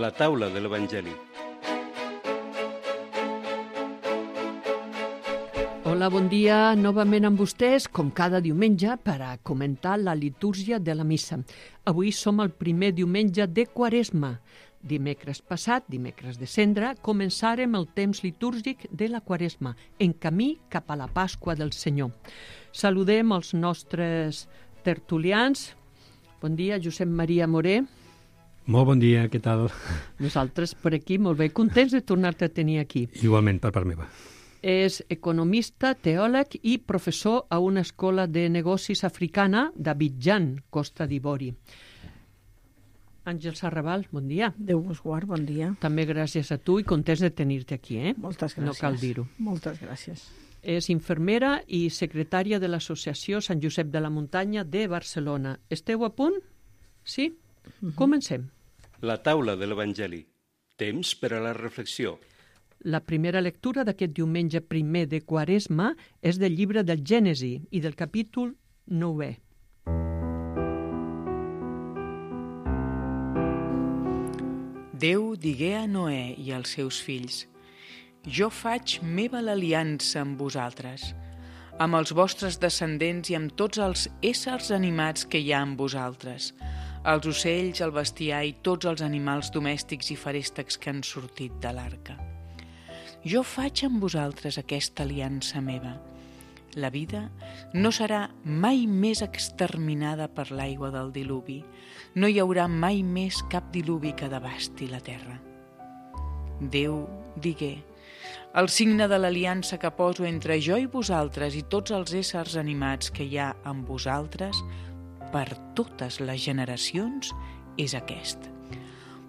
La taula de l'Evangeli. Hola, bon dia novament amb vostès, com cada diumenge, per a comentar la litúrgia de la missa. Avui som el primer diumenge de Quaresma. Dimecres passat, dimecres de Cendra, començarem el temps litúrgic de la Quaresma, en camí cap a la Pasqua del Senyor. Saludem els nostres tertulians. Bon dia, Josep Maria Moré. Molt bon dia, què tal? Nosaltres per aquí, molt bé, contents de tornar-te a tenir aquí. Igualment, per part meva. És economista, teòleg i professor a una escola de negocis africana d'Abidjan, Costa d'Ivori. Àngels Arrabal, bon dia. Déu vos guard, bon dia. També gràcies a tu i contents de tenir-te aquí, Moltes gràcies. No cal dir-ho. Moltes gràcies. És infermera i secretària de l'Associació Sant Josep de la Muntanya de Barcelona. Esteu a punt? Sí? Comencem. La taula de l'Evangeli. Temps per a la reflexió. La primera lectura d'aquest diumenge primer de Quaresma és del llibre del Gènesi i del capítol 9è. Déu digué a Noè i als seus fills: Jo faig meva l'aliança amb vosaltres, amb els vostres descendents i amb tots els éssers animats que hi ha amb vosaltres, els ocells, el bestiar i tots els animals domèstics i feréstecs que han sortit de l'arca. Jo faig amb vosaltres aquesta aliança meva. La vida no serà mai més exterminada per l'aigua del diluvi. No hi haurà mai més cap diluvi que devasti la terra. Déu digué: el signe de l'aliança que poso entre jo i vosaltres i tots els éssers animats que hi ha amb vosaltres per totes les generacions és aquest.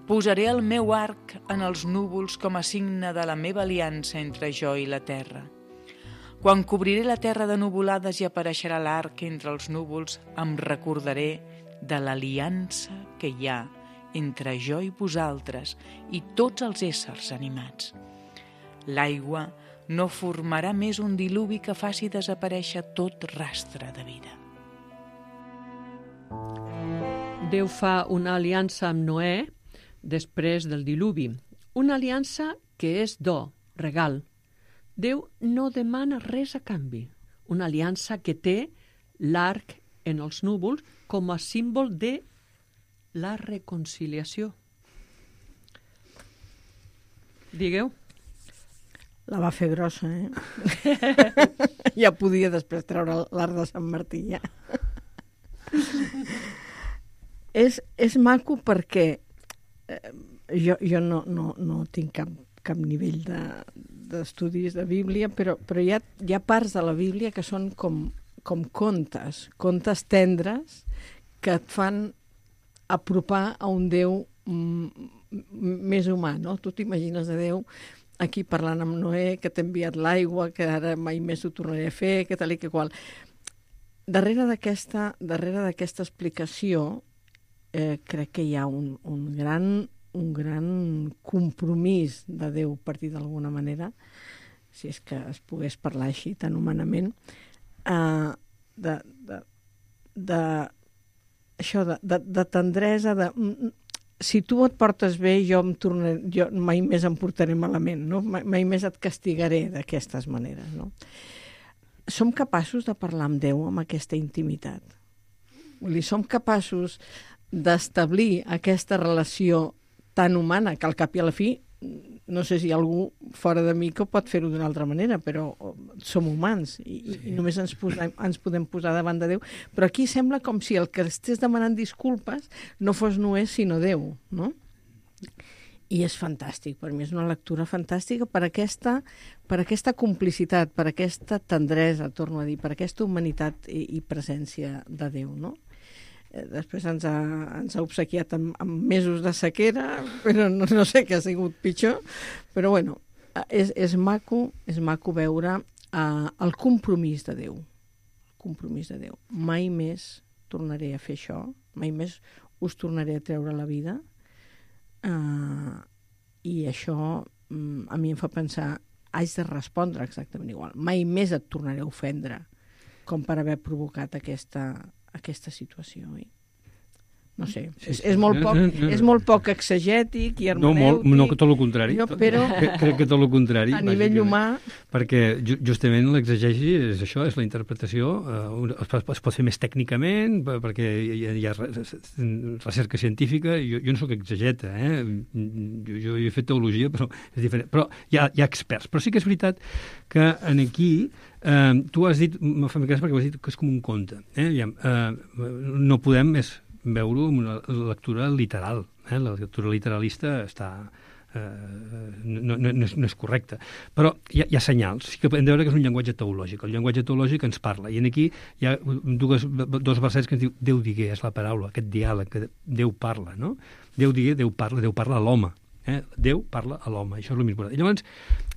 Posaré el meu arc en els núvols com a signe de la meva aliança entre jo i la terra. Quan cobriré la terra de nuvolades i apareixerà l'arc entre els núvols, em recordaré de l'aliança que hi ha entre jo i vosaltres i tots els éssers animats. L'aigua no formarà més un diluvi que faci desaparèixer tot rastre de vida. Déu fa una aliança amb Noè després del diluvi. Una aliança que és do, regal. Déu no demana res a canvi. Una aliança que té l'arc en els núvols com a símbol de la reconciliació. Digueu. La va fer grossa, Ja podia després treure l'arc de Sant Martí, ja. És maco perquè jo no tinc cap nivell d'estudis de Bíblia, però hi ha parts de la Bíblia que són com contes tendres que et fan apropar a un Déu més humà, no? Tu t'imagines a Déu aquí parlant amb Noè, que t'ha enviat l'aigua, que ara mai més ho tornaré a fer, que tal i que qual. Darrere d'aquesta explicació crec que hi ha un gran compromís de Déu, per dir d'alguna manera, si és que es pogués parlar així tan humanament, de tendresa, si tu et portes bé, jo mai més em portaré malament, no? Mai més et castigaré d'aquestes maneres, no? Som capaços de parlar amb Déu amb aquesta intimitat. Vull dir, som capaços d'establir aquesta relació tan humana que al cap i a la fi, no sé si hi ha algú fora de mi que pot fer-ho d'una altra manera, però som humans i només ens podem posar davant de Déu. Però aquí sembla com si el que estés demanant disculpes no fos Noè sinó Déu, no? I és fantàstic, per mi és una lectura fantàstica per aquesta complicitat, per aquesta tendresa, torno a dir, per aquesta humanitat i presència de Déu, no? Després ens ha obsequiat amb mesos de sequera, però no sé què ha sigut pitjor, però bueno, és maco veure el compromís de Déu. El compromís de Déu. Mai més tornaré a fer això, mai més us tornaré a treure la vida, i això a mi em fa pensar, haig de respondre exactament igual. Mai més et tornaré a ofendre com per haver provocat aquesta situació. No sé, és molt poc exegètic i No, hermenèutic. no, tot el contrari. Però Crec que tot el contrari. a nivell humà... Perquè justament l'exegesi és això, és la interpretació. Es pot fer més tècnicament, perquè hi ha recerca científica. Jo no sóc exegeta, jo he fet teologia, però és diferent. Però hi ha experts. Però sí que és veritat que aquí tu has dit, m'ha fet gràcia perquè has dit que és com un conte. No podem més veure-ho amb una lectura literal. La lectura literalista no és correcta. Però hi ha senyals. Sí que podem veure que és un llenguatge teològic. El llenguatge teològic ens parla. I aquí hi ha dos versets que ens diu Déu digué, és la paraula, aquest diàleg que Déu parla, no? Déu digué, Déu parla a l'home. Déu parla a l'home, això és el més important. I llavors,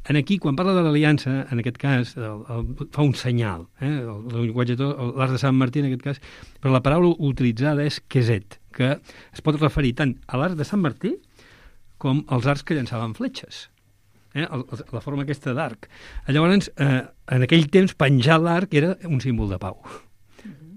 aquí, quan parla de l'aliança, en aquest cas, fa un senyal. El llenguatge, l'art de Sant Martí, en aquest cas, però la paraula utilitzada és queset, que es pot referir tant a l'art de Sant Martí com als arcs que llançaven fletxes. La forma aquesta d'arc. Llavors, en aquell temps, penjar l'arc era un símbol de pau.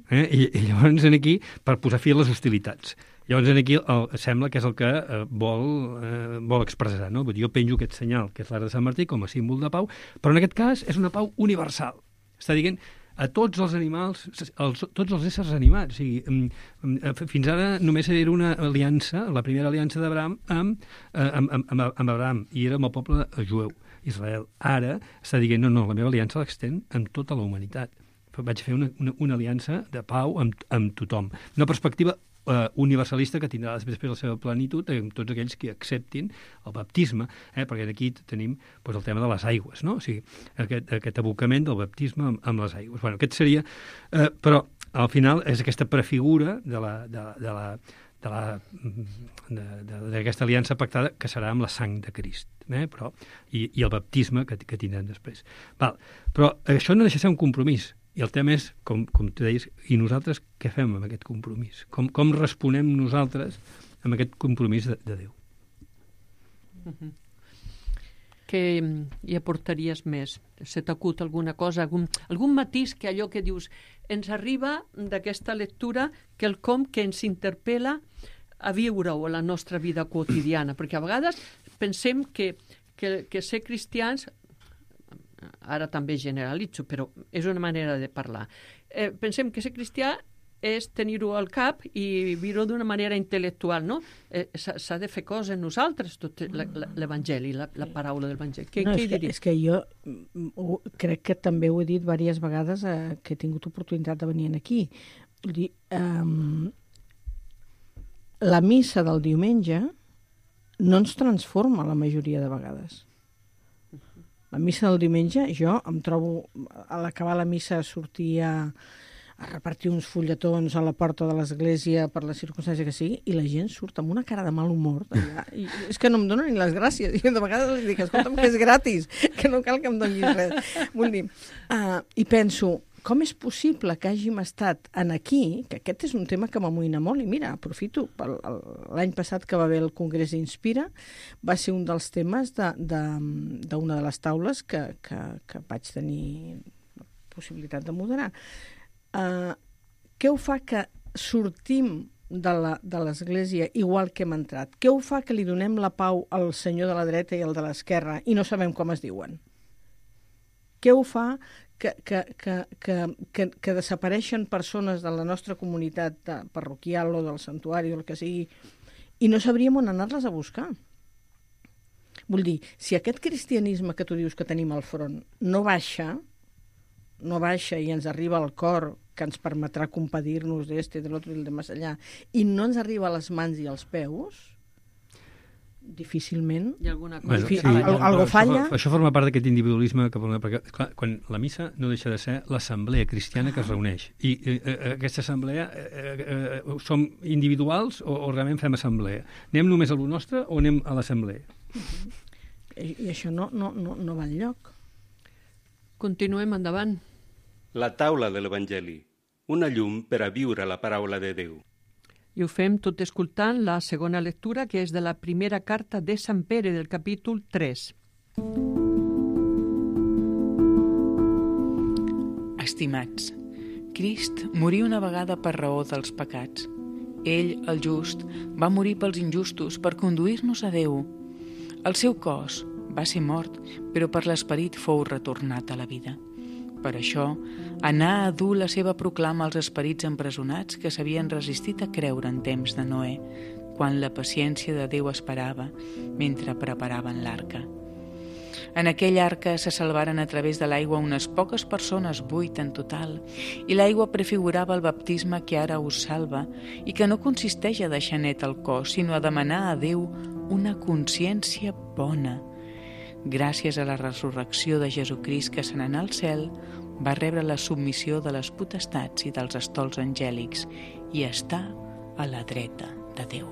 I llavors, aquí, per posar fi a les hostilitats. Llavors, aquí sembla que és el que vol expressar, no? Vull dir, jo penjo aquest senyal, que és l'art de Sant Martí, com a símbol de pau, però en aquest cas és una pau universal. Està dient a tots els animals, tots els éssers animats. O sigui, fins ara només era una aliança, la primera aliança d'Abraham amb Abraham, i era amb el poble jueu, Israel. Ara està dient, no, la meva aliança l'extén amb tota la humanitat. Vaig fer una aliança de pau amb tothom. Una perspectiva universalista que tindrà després la seva plenitud amb tots aquells que acceptin el baptisme, perquè aquí tenim el tema de les aigües, no? O sigui, aquest abocament del baptisme amb les aigües. Bueno, aquest seria... Però, al final, és aquesta prefigura d'aquesta aliança pactada que serà amb la sang de Crist, però, i el baptisme que tindran després. Però això no deixa de ser un compromís. I el tema és, com tu deies, i nosaltres què fem amb aquest compromís? Com responem nosaltres amb aquest compromís de Déu? Què hi aportaries més? Se t'acut alguna cosa, algun matís que allò que dius ens arriba d'aquesta lectura quelcom que ens interpel·la a viure-ho a la nostra vida quotidiana? Perquè a vegades pensem que ser cristians, ara també generalitzo, però és una manera de parlar. Pensem que ser cristià és tenir-ho al cap i viure-ho d'una manera intel·lectual, no? S'ha de fer coses en nosaltres, tot l'Evangeli, la paraula de l'Evangeli. Què hi diries? És que jo crec que també ho he dit diverses vegades que he tingut oportunitat de venir aquí. Vull dir, la missa del diumenge no ens transforma la majoria de vegades. La missa del diumenge, jo em trobo, a l'acabar la missa sortir a repartir uns fulletons a la porta de l'església per la circumstància que sigui, i la gent surt amb una cara de mal humor d'allà. I és que no em donen ni les gràcies. Jo de vegades els dic, escolta'm, que és gratis, que no cal que em donis res. Vull dir, i penso, com és possible que hàgim estat aquí, que aquest és un tema que m'amoïna molt, i mira, aprofito, l'any passat que va haver el Congrés Inspira, va ser un dels temes d'una de les taules que vaig tenir la possibilitat de moderar. Què ho fa que sortim de l'església igual que hem entrat? Què ho fa que li donem la pau al senyor de la dreta i al de l'esquerra i no sabem com es diuen? Què ho fa que desapareixen persones de la nostra comunitat parroquial o del santuari o el que sigui i no sabríem on anar-les a buscar? Vull dir, si aquest cristianisme que tu dius que tenim al front no baixa i ens arriba al cor, que ens permetrà compadir-nos d'este, de l'altre i de més allà, i no ens arriba a les mans i als peus, difícilment algo falla. Això forma part d'aquest individualisme perquè, clar, quan la missa no deixa de ser l'assemblea cristiana que es reuneix i aquesta assemblea som individuals o realment fem assemblea? Anem només a lo nostre o anem a l'assemblea? I això no va enlloc. Continuem endavant. La taula de l'Evangeli, una llum per a viure la paraula de Déu. I ho fem tot escoltant la segona lectura, que és de la primera carta de Sant Pere, del capítol 3. Estimats, Crist morí una vegada per raó dels pecats, Ell, el just, va morir pels injustos per conduir-nos a Déu. El seu cos va ser mort, però per l'esperit fou retornat a la vida. Per això, anà a dur la seva proclama als esperits empresonats que s'havien resistit a creure en temps de Noè, quan la paciència de Déu esperava mentre preparaven l'arca. En aquella arca se salvaren a través de l'aigua unes poques persones, 8 en total, i l'aigua prefigurava el baptisme que ara us salva i que no consisteix a deixar net el cos, sinó a demanar a Déu una consciència bona. Gràcies a la resurrecció de Jesucrist que se n'anà al cel, va rebre la submissió de les potestats i dels estols angèlics i està a la dreta de Déu.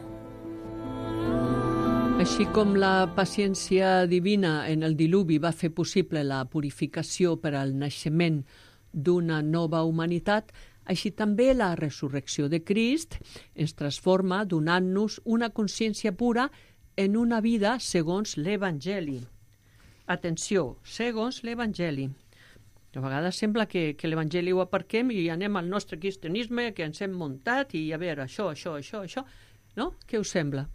Així com la paciència divina en el diluvi va fer possible la purificació per al naixement d'una nova humanitat, així també la resurrecció de Crist ens transforma donant-nos una consciència pura en una vida segons l'Evangeli. Atenció, segons l'Evangeli. A vegades sembla que l'Evangeli ho aparquem i anem al nostre cristianisme que ens hem muntat i a veure, això, no? Què us sembla?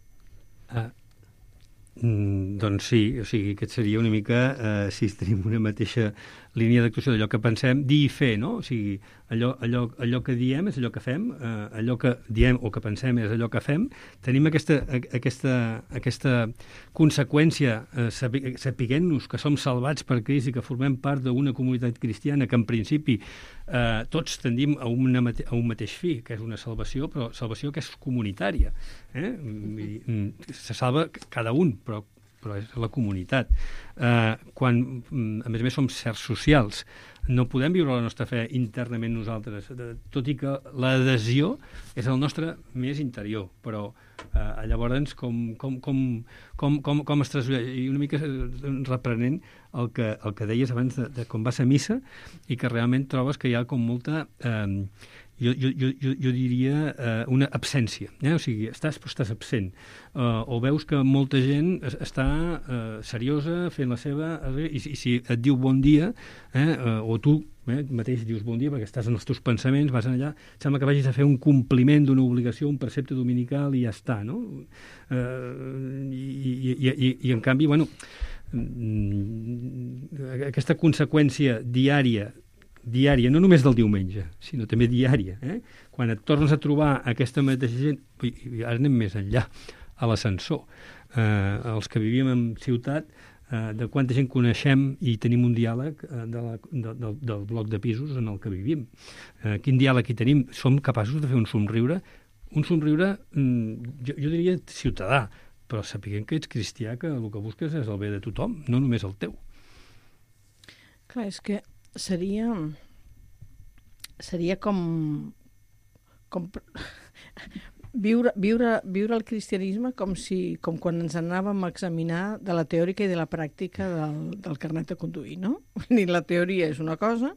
Doncs sí, o sigui, aquest seria una mica, si tenim una mateixa línia d'actuació d'allò que pensem, dir i fer, no? O sigui, allò que diem és allò que fem, allò que diem o que pensem és allò que fem. Tenim aquesta conseqüència, sapiguent-nos que som salvats per Crist i que formem part d'una comunitat cristiana que en principi tots tendim a un mateix fi, que és una salvació, però salvació que és comunitària. Se salva cada un, però és la comunitat. Quan, a més som sers socials, no podem viure la nostra fe internament nosaltres, tot i que l'adhesió és el nostre més interior, però llavors com es trasllueix, i una mica reprenent el que deies abans de quan vas a missa i que realment trobes que hi ha com molta jo diria una absència, o sigui, estàs absent, o veus que molta gent està seriosa fent la seva, i si et diu bon dia, o tu mateix dius bon dia perquè estàs en els teus pensaments, vas allà, sembla que vagis a fer un compliment d'una obligació, un precepte dominical i ja està, no? I en canvi, bueno, aquesta conseqüència diària, no només del diumenge, sinó també diària, quan et tornes a trobar aquesta mateixa gent, i ara anem més enllà, a l'ascensor, els que vivíem en ciutat, de quanta gent coneixem i tenim un diàleg del bloc de pisos en el que vivim. Quin diàleg hi tenim? Som capaços de fer un somriure, jo diria ciutadà, però sapiguem que ets cristià, que el que busques és el bé de tothom, no només el teu. Clar, és que seria com viure el cristianisme com quan ens anàvem a examinar de la teòrica i de la pràctica del carnet de conduir, no? La teoria és una cosa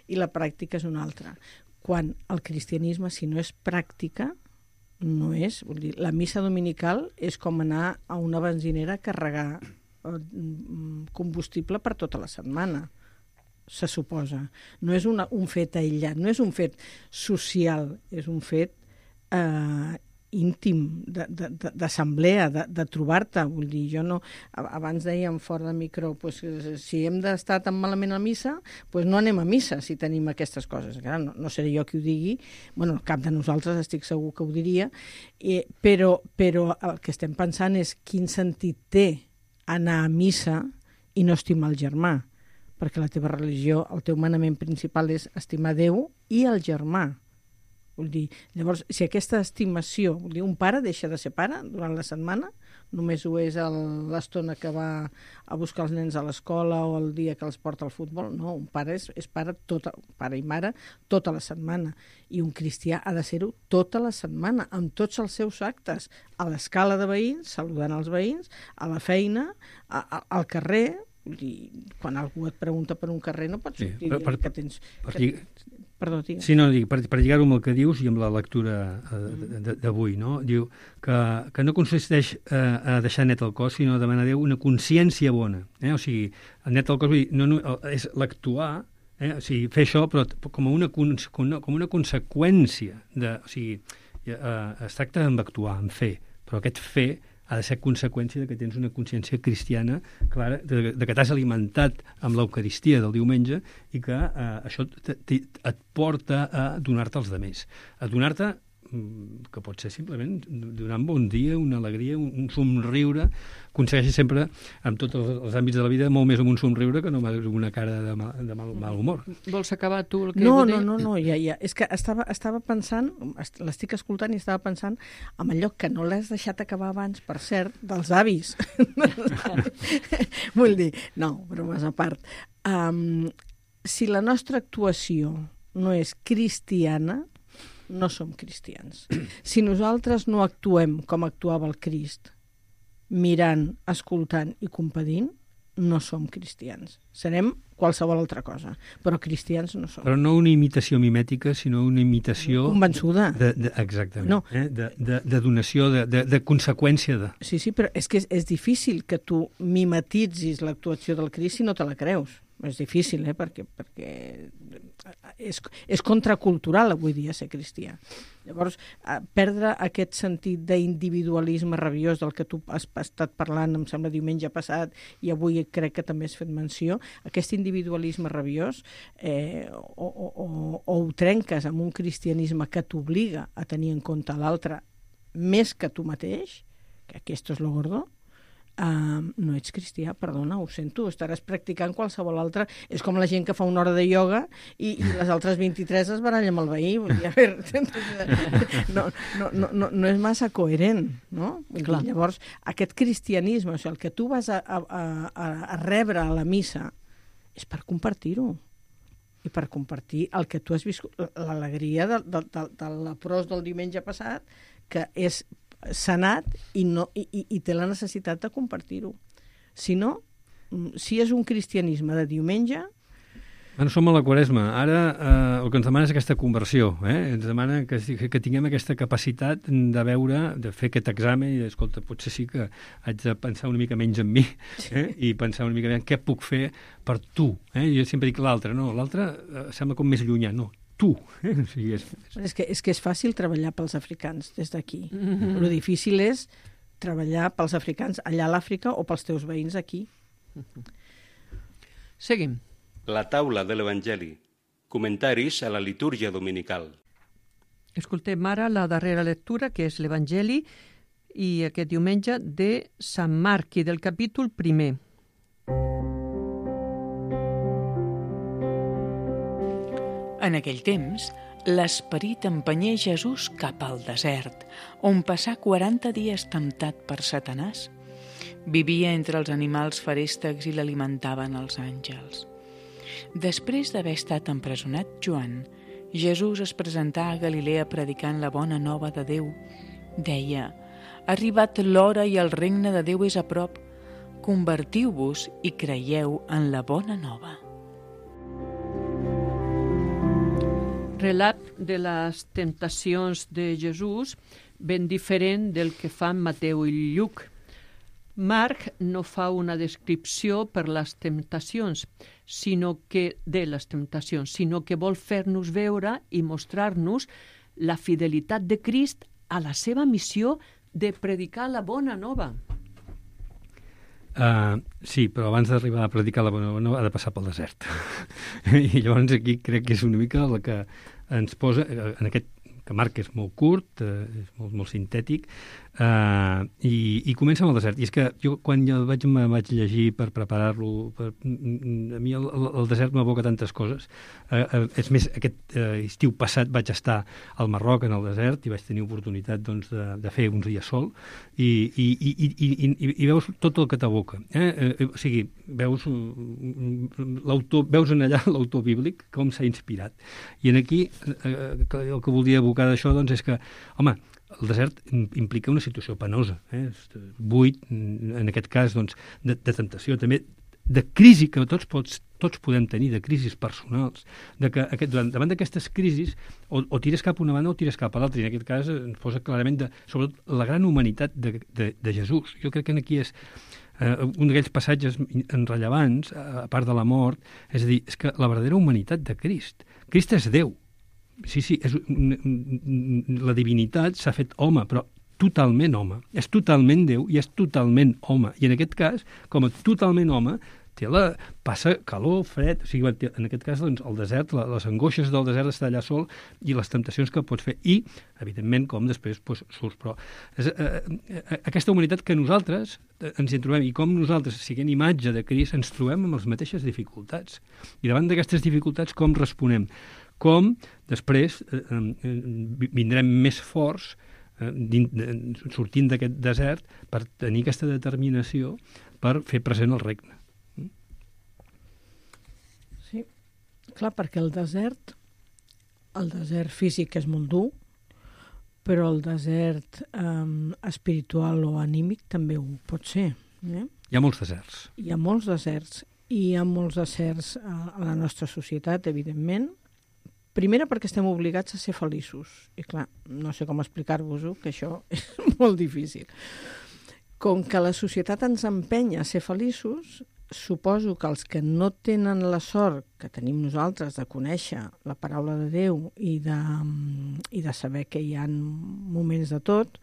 i la pràctica és una altra. Quan el cristianisme, si no és pràctica, no és... Vull dir, la missa dominical és com anar a una benzinera a carregar combustible per tota la setmana, se suposa. No és un fet aïllat, no és un fet social, és un fet íntim, d'assemblea, de trobar-te. Vull dir, jo no... Abans dèiem fora de micro, pues, si hem d'estar tan malament a missa, pues no anem a missa si tenim aquestes coses. Clar, no seré jo qui ho digui, bueno, cap de nosaltres estic segur que ho diria, però el que estem pensant és quin sentit té anar a missa i no estimar el germà, perquè la teva religió, el teu manament principal és estimar Déu i el germà. Vull dir, llavors, si aquesta estimació, vull dir, un pare deixa de ser pare durant la setmana, només ho és l'estona que va a buscar els nens a l'escola o el dia que els porta al futbol, no, un pare és pare, pare i mare tota la setmana, i un cristià ha de ser-ho tota la setmana, amb tots els seus actes, a l'escala de veïns, saludant els veïns, a la feina, al carrer. Vull dir, quan algú et pregunta per un carrer no pots sortir que tens... Perdó, digues. Sí, no, per lligar-ho amb el que dius i amb la lectura d'avui, no? Diu que no consisteix a deixar net el cos, sinó a demanar a Déu una consciència bona. O sigui, net el cos vull dir, és l'actuar, o sigui, fer això, però com una conseqüència. O sigui, es tracta d'actuar, en fer, però aquest fer ha de ser conseqüència de que tens una consciència cristiana clara, de que t'has alimentat amb l'Eucaristia del diumenge i que això et porta a donar-te als demés. A donar-te, que pot ser simplement donar un bon dia, una alegria, un somriure. Aconsegueixi sempre, en tots els àmbits de la vida, molt més amb un somriure que no amb una cara de mal humor. Vols acabar tu el que No, ja. És que estava pensant, l'estic escoltant i estava pensant en allò que no l'has deixat acabar abans, per cert, dels avis. Vull dir, no, bromes a part. Si la nostra actuació no és cristiana, no som cristians. Si nosaltres no actuem com actuava el Crist, mirant, escoltant i compadint, no som cristians. Serem qualsevol altra cosa, però cristians no som. Però no una imitació mimètica, sinó una imitació... Convençuda. Exactament. No. De donació, de conseqüència de... Sí, però és que és difícil que tu mimetitzis l'actuació del Crist si no te la creus. És difícil, perquè és contracultural avui dia ser cristià. Llavors, perdre aquest sentit d'individualisme rabiós del que tu has estat parlant, em sembla, diumenge passat, i avui crec que també has fet menció, aquest individualisme rabiós o ho trenques amb un cristianisme que t'obliga a tenir en compte l'altre més que tu mateix, que aquest és lo gordo, no ets cristià, perdona, ho sento, estaràs practicant qualsevol altra. És com la gent que fa una hora de ioga i les altres 23 es baralla amb el veí. Vull dir, a veure, no és massa coherent, no? Dir, llavors, aquest cristianisme, o sigui, el que tu vas a rebre a la missa és per compartir-ho i per compartir el que tu has viscut, l'alegria de l'leprós del diumenge passat, que és sanat i té la necessitat de compartir-ho. Si no, si és un cristianisme de diumenge... Bueno, som a la Quaresma. Ara el que ens demana és aquesta conversió. Ens demana que tinguem aquesta capacitat de veure, de fer aquest examen i escolta, potser sí que haig de pensar una mica menys en mi i pensar una mica més en què puc fer per tu. Jo sempre dic l'altre, no? L'altre sembla com més llunyà, no. Tu. O sigui, és que és fàcil treballar pels africans des d'aquí. Lo difícil és treballar pels africans allà a l'Àfrica o pels teus veïns aquí. Seguim. La taula de l'Evangeli. Comentaris a la litúrgia dominical. Escoltem ara la darrera lectura, que és l'Evangeli, i aquest diumenge de Sant Marc, i del capítol 1. En aquell temps, l'esperit empenyé Jesús cap al desert, on passà 40 dies temptat per Satanàs. Vivia entre els animals feréstecs i l'alimentaven els àngels. Després d'haver estat empresonat Joan, Jesús es presentà a Galilea predicant la bona nova de Déu. Deia: «Ha arribat l'hora i el regne de Déu és a prop. Convertiu-vos i creieu en la bona nova». Relat de les temptacions de Jesús ben diferent del que fan Mateu i Lluc. Marc no fa una descripció per les temptacions, sinó que vol fer-nos veure i mostrar-nos la fidelitat de Crist a la seva missió de predicar la bona nova. Sí, però abans d'arribar a predicar la bona nova ha de passar pel desert. I llavors aquí crec que és una mica la que ens posa en aquest, que Marc és molt curt, és molt sintètic, i comença amb el desert. I és que jo, quan me vaig llegir per preparar-lo, a mi el desert m'evoca tantes coses. És més, aquest estiu passat vaig estar al Marroc, en el desert, i vaig tenir oportunitat doncs, de fer uns dies sol, i veus tot el que t'evoca. O sigui, veus en allà l'autor bíblic, com s'ha inspirat. I en aquí, el que volia evocar d'això doncs, és que, home, el desert implica una situació penosa, buit, en aquest cas, doncs, de tentació, també de crisi que tots podem tenir, de crisis personals, de que davant d'aquestes crisis o tires cap a una banda o tires cap a l'altra, i en aquest cas ens posa clarament sobretot la gran humanitat de Jesús. Jo crec que aquí és un d'aquells passatges rellevants, a part de la mort, és a dir, és que la verdadera humanitat de Crist. Crist és Déu, Sí, la divinitat s'ha fet home, però totalment home. És totalment Déu i és totalment home. I en aquest cas, com a totalment home, passa calor, fred, o sigui, en aquest cas doncs, el desert, les angoixes del desert d'estar allà sol i les temptacions que pots fer. I, evidentment, com després doncs, surts. Però aquesta humanitat que nosaltres ens hi trobem i com nosaltres, siguent imatge de Crist, ens trobem amb les mateixes dificultats. I davant d'aquestes dificultats, com responem? Com després vindrem més forts sortint d'aquest desert per tenir aquesta determinació per fer present el regne. Sí, clar, perquè el desert físic és molt dur, però el desert espiritual o anímic també ho pot ser. Hi ha molts deserts. Hi ha molts deserts, i hi ha molts deserts a la nostra societat, evidentment. Primera, perquè estem obligats a ser feliços. I clar, no sé com explicar-vos-ho, que això és molt difícil. Com que la societat ens empenya a ser feliços, suposo que els que no tenen la sort que tenim nosaltres de conèixer la paraula de Déu i de saber que hi ha moments de tot,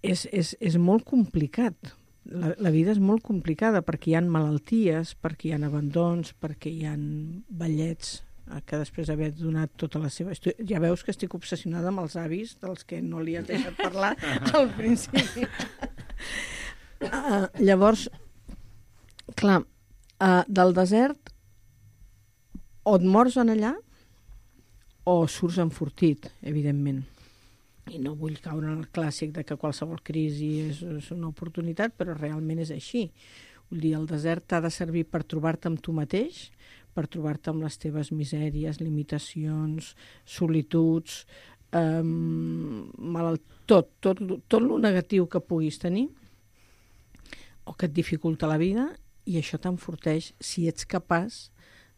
és molt complicat. La vida és molt complicada perquè hi ha malalties, perquè hi ha abandons, perquè hi ha vellets que després d'haver donat tota la seva... Ja veus que estic obsessionada amb els avis dels que no li has deixat parlar al principi. Llavors, clar, del desert o et mors en allà o surts enfortit, evidentment. I no vull caure en el clàssic de que qualsevol crisi és una oportunitat, però realment és així. Vull dir, el desert t'ha de servir per trobar-te amb tu mateix, per trobar-te amb les teves misèries, limitacions, solituds, tot lo negatiu que puguis tenir o que et dificulta la vida, i això t'enforteix si ets capaç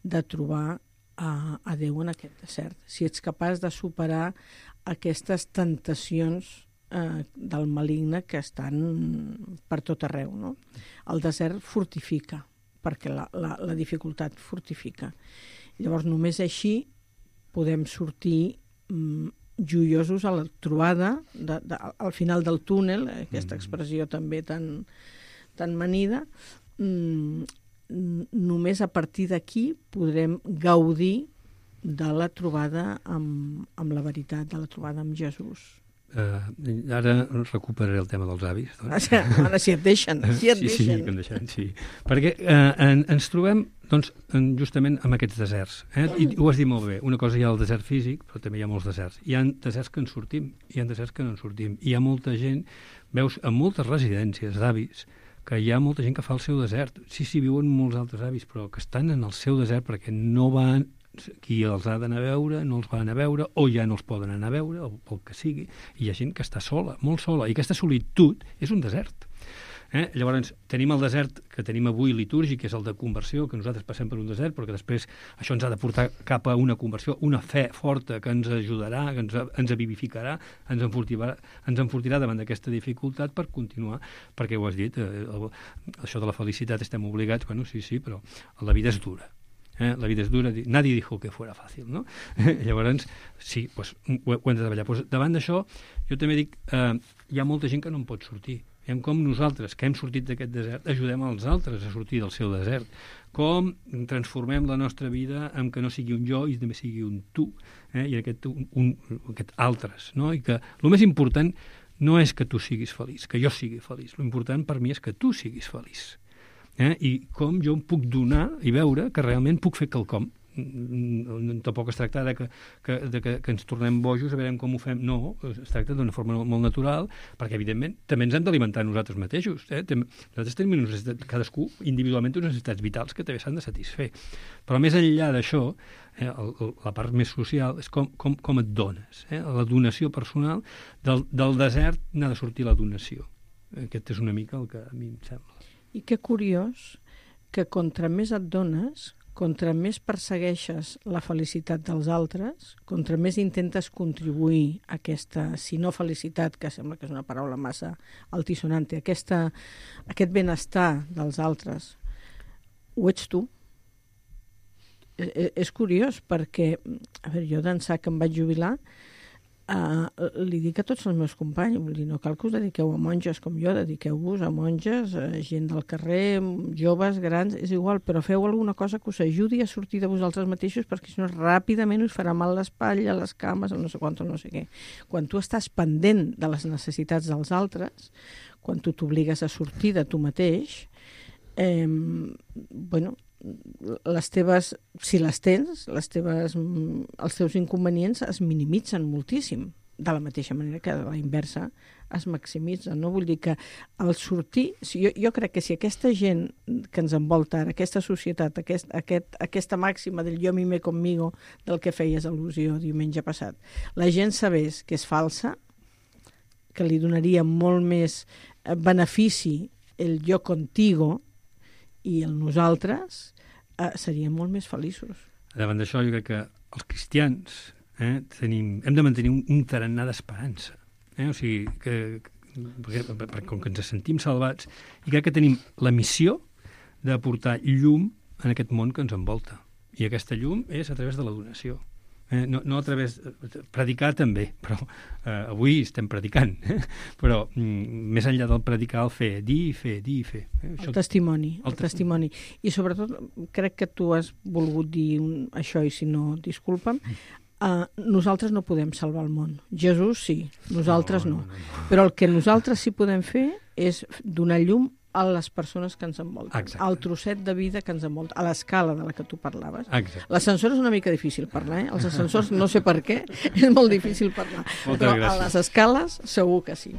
de trobar a Déu en aquest desert, si ets capaç de superar aquestes tentacions del maligne que estan per tot arreu, no? El desert fortifica, perquè la dificultat fortifica. Llavors, només així podem sortir joiosos a la trobada, al final del túnel, aquesta expressió també tan manida. Només a partir d'aquí podrem gaudir de la trobada amb la veritat, de la trobada amb Jesús. Ara recuperaré el tema dels avis. Doncs. Ara, si et deixen. Sí, que em deixen, sí. Perquè ens trobem doncs, justament amb aquests deserts. I ho has dit molt bé. Una cosa hi ha el desert físic, però també hi ha molts deserts. Hi ha deserts que en sortim, hi ha deserts que no en sortim. Hi ha molta gent, veus, en moltes residències d'avis, que hi ha molta gent que fa el seu desert. Sí, viuen molts altres avis, però que estan en el seu desert perquè no van, qui els ha d'anar a veure, no els van a veure, o ja no els poden anar a veure, o pel que sigui. I hi ha gent que està sola, molt sola, i aquesta solitud és un desert. Llavors, tenim el desert que tenim avui litúrgic, que és el de conversió, que nosaltres passem per un desert, perquè després això ens ha de portar cap a una conversió, una fe forta que ens ajudarà, que ens vivificarà, ens enfortirà davant d'aquesta dificultat per continuar, perquè ho has dit, això de la felicitat estem obligats, bueno, sí, però la vida és dura. La vida és dura, nadie dijo que fuera fàcil, no? Llavors, sí, ho hem de treballar. Davant d'això, jo també dic, hi ha molta gent que no en pot sortir. Veiem com nosaltres, que hem sortit d'aquest desert, ajudem els altres a sortir del seu desert. Com transformem la nostra vida en que no sigui un jo i també sigui un tu, i aquest altres. No? I que el més important no és que tu siguis feliç, que jo sigui feliç. L'important per mi és que tu siguis feliç. I com jo em puc donar i veure que realment puc fer quelcom. Tampoc es tracta que ens tornem bojos a veure com ho fem. No, es tracta d'una forma molt natural, perquè evidentment també ens hem d'alimentar nosaltres mateixos. Nosaltres tenim cadascú individualment unes necessitats vitals que també s'han de satisfer. Però més enllà d'això, la part més social és com et dones. La donació personal del desert n'ha de sortir la donació. Aquest és una mica el que a mi em sembla. I que curiós que contra més et dones, contra més persegueixes la felicitat dels altres, contra més intentes contribuir a aquesta, si no felicitat, que sembla que és una paraula massa altisonante, aquest benestar dels altres, ho ets tu. és curiós perquè, a veure, jo d'ençà que em vaig jubilar, li dic a tots els meus companys, vull dir, no cal que us dediqueu a monges com jo, dediqueu-vos a monges, gent del carrer, joves, grans, és igual, però feu alguna cosa que us ajudi a sortir de vosaltres mateixos, perquè si no ràpidament us farà mal l'espatlla, les cames, el no sé quant, no sé què. Quan tu estàs pendent de les necessitats dels altres, quan tu t'obligues a sortir de tu mateix, bueno, les teves, si les tens, els teus inconvenients es minimitzen moltíssim, de la mateixa manera que a la inversa es maximitzen, no? Vull dir que al sortir, jo crec que si aquesta gent que ens envolta ara, aquesta societat, aquesta màxima del jo mime conmigo, del que feies al·lusió diumenge passat, la gent sabés que és falsa, que li donaria molt més benefici el jo contigo i el nosaltres, seríem molt més feliços. Davant d'això, jo crec que els cristians hem de mantenir un tarannà d'esperança. O sigui, perquè com que ens sentim salvats, i crec que tenim la missió de portar llum en aquest món que ens envolta. I aquesta llum és a través de la donació. No a través de predicar també, però avui estem predicant, però més enllà del predicar, el fer, dir i fer. El testimoni. I sobretot crec que tu has volgut dir això, i si no, disculpa'm, nosaltres no podem salvar el món. Jesús sí, nosaltres no. Però el que nosaltres sí podem fer és donar llum a les persones que ens envolten, exacte, al trosset de vida que ens envolta, a l'escala de la que tu parlaves. Exacte. L'ascensor és una mica difícil parlar, Els ascensors, no sé per què, és molt difícil parlar. Però gràcies. A les escales segur que sí.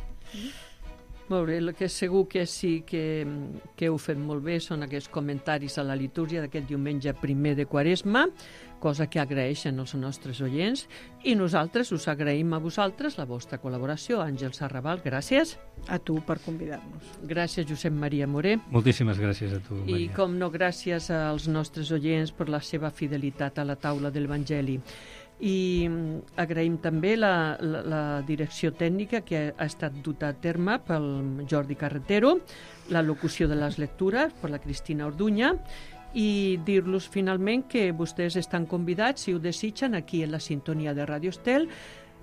Molt bé, el que segur que sí que heu fet molt bé són aquests comentaris a la litúrgia d'aquest diumenge primer de Quaresma, cosa que agraeixen els nostres oients, i nosaltres us agraïm a vosaltres la vostra col·laboració. Àngels Arrabal, gràcies. A tu per convidar-nos. Gràcies, Josep Maria Moré. Moltíssimes gràcies a tu, Maria. I, com no, gràcies als nostres oients per la seva fidelitat a la taula de l'Evangeli. I agraïm també la direcció tècnica que ha estat duta a terme pel Jordi Carretero, la locució de les lectures per la Cristina Orduña, i dir-los finalment que vostès estan convidats, si ho desitgen, aquí en la sintonia de Radio Estel,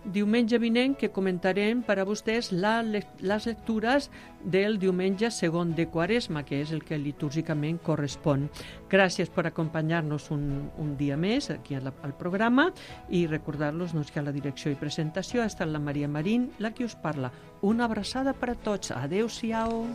diumenge vinent, que comentarem per a vostès les lectures del diumenge segon de Quaresma, que és el que litúrgicament correspon. Gràcies per acompanyar-nos un dia més aquí al programa, i recordar-los que a la direcció i presentació ha estat la Maria Marín, la que us parla. Una abraçada per a tots. Adéu-siau.